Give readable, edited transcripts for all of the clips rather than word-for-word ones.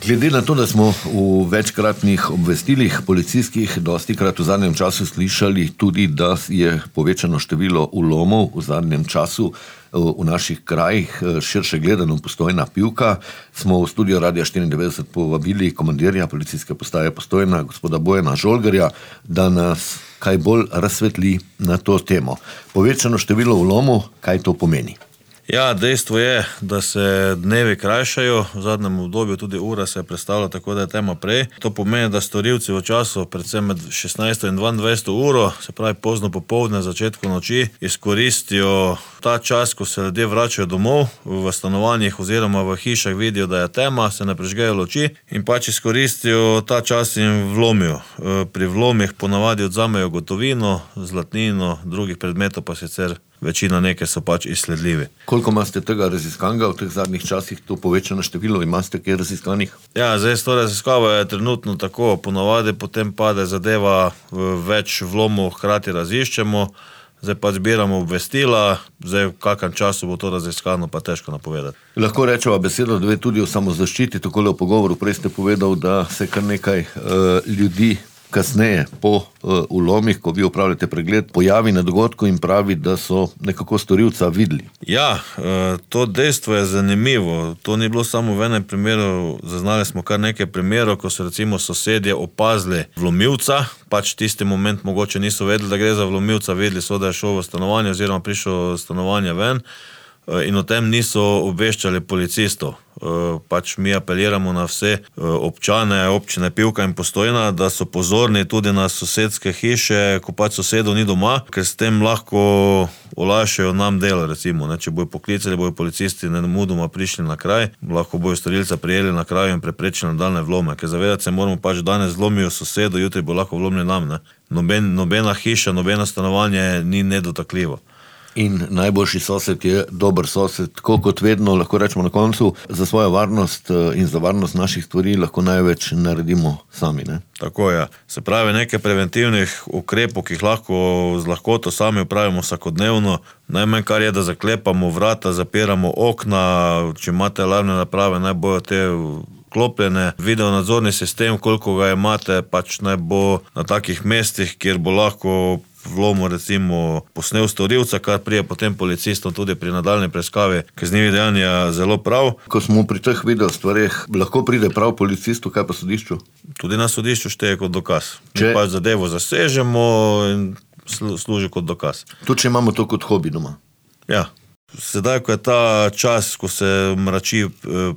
Glede na to, da smo v večkratnih obvestilih policijskih dostikrat v zadnjem času slišali tudi, da je povečano število vlomov v zadnjem času v naših krajih, širše gledano Postojna Pivka, smo v studio Radia 94 povabili komandirja policijske postaje Postojna, gospoda Bojana Žolgarja, da nas kaj bolj razsvetli na to temo. Povečano število vlomov, kaj to pomeni? Ja, dejstvo je, da se dnevi krajšajo, v zadnjem obdobju tudi ura se je prestavila tako, da je tema prej. To pomeni, da storilci v času, predvsem med 16. in 22. uro, se pravi pozno popoldne, začetku noči, izkoristijo ta čas, ko se ljudje vračajo domov, v stanovanjih oziroma v hišah vidijo, da je tema, se ne prižgejo luči in pač izkoristijo ta čas in vlomijo. Pri vlomih ponavadi odzamejo gotovino, zlatnino, drugih predmetov pa sicer večina nekaj so pač izsledljivi. Koliko imate tega raziskanega v teh zadnjih časih, to povečano število, imate kaj raziskanih? Ja, zdaj s to raziskavo je trenutno tako, ponavadi potem pade zadeva, več vlomov hkrati raziščemo, zdaj pa zbiramo obvestila, zdaj v kakem času bo to raziskano, pa težko napovedati. Lahko rečeva besedo dve tudi o samozaščiti, takole v pogovoru prej ste povedal, da se kar nekaj ljudi kasneje po vlomih, ko vi opravljate pregled, pojavi na dogodku in pravi, da so nekako storilca videli. Ja, to dejstvo je zanimivo. To ni bilo samo v enem primeru, zaznali smo kar nekaj primerov, ko so recimo sosedje opazili vlomilca, pač tisti moment mogoče niso vedeli, da gre za vlomilca, vedeli so, da je šel v stanovanje oziroma prišel v stanovanje ven in o tem niso obveščali policistov. Pač mi apeliramo na vse občane občine Pivka in Postojna, da so pozorni tudi na sosedske hiše, ko pač sosedov ni doma, ker s tem lahko olajšajo nam delo, recimo. Če bojo poklicali, bojo policisti nemudoma prišli na kraj, lahko bojo storilca prijeli na kraju in preprečili nadaljnje vlome, ker zavedati se moramo pač, danes vlomijo sosedo, jutri bo lahko vlomili nam. Nobena hiša, nobeno stanovanje ni nedotakljivo. In najboljši sosed je dober sosed, tako kot vedno, lahko rečemo na koncu, za svojo varnost in za varnost naših stvari lahko največ naredimo sami, ne? Tako je. Se pravi, nekaj preventivnih ukrepov, ki jih lahko z lahkoto sami upravimo vsakodnevno, najmanj kar je, da zaklepamo vrata, zapiramo okna, če imate alarmne naprave, naj bojo te klopljene, videonadzorni sistem, koliko ga imate, pač naj bo na takih mestih, kjer bo lahko vlomo recimo posnel storilca, kar prije potem policistom tudi pri nadaljnji preiskavi kaznivih dejanja zelo prav. Ko smo pri teh video stvareh, lahko pride prav policistu, kaj pa sodišču? Tudi na sodišču šteje kot dokaz. Mi pač zadevo zasežemo in služi kot dokaz. Tudi če imamo to kot hobi doma? Ja. Sedaj, ko je ta čas, ko se mrači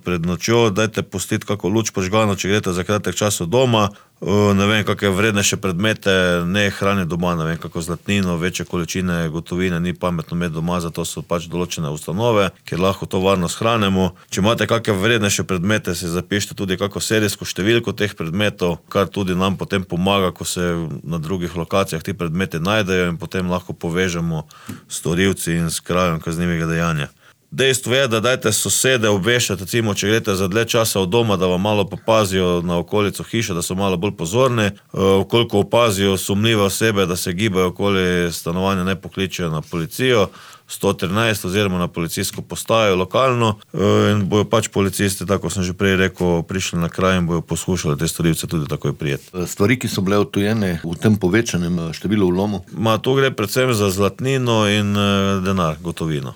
pred nočjo, dajte pustiti kako luč požgano, če greste za kratek čas od doma, ne vem, kakšne vrednejše predmete ne hrani doma, ne vem, kako zlatnino, večje količine gotovine ni pametno imeti doma, zato so pač določene ustanove, kjer lahko to varno shranimo. Če imate kakšne vrednejše predmete, si zapišite tudi kako serijsko številko teh predmetov, kar tudi nam potem pomaga, ko se na drugih lokacijah ti predmeti najdejo in potem lahko povežemo storilci in s krajem kaznivega dejanja. Dejstvo je, da dajte sosede obveščati, recimo, če greste za dlje časa od doma, da vam malo popazijo na okolico hiše, da so malo bolj pozorni, koliko opazijo sumljive osebe, da se gibajo okoli stanovanja, ne pokličejo na policijo, 113 oziroma na policijsko postajo lokalno in bojo pač policisti, tako sem že prej rekel, prišli na kraj in bojo poskušali te storilce tudi takoj prijeti. Stvari, ki so bile odtujene v tem povečanem številu vlomov? Tu gre predvsem za zlatnino in denar, gotovino.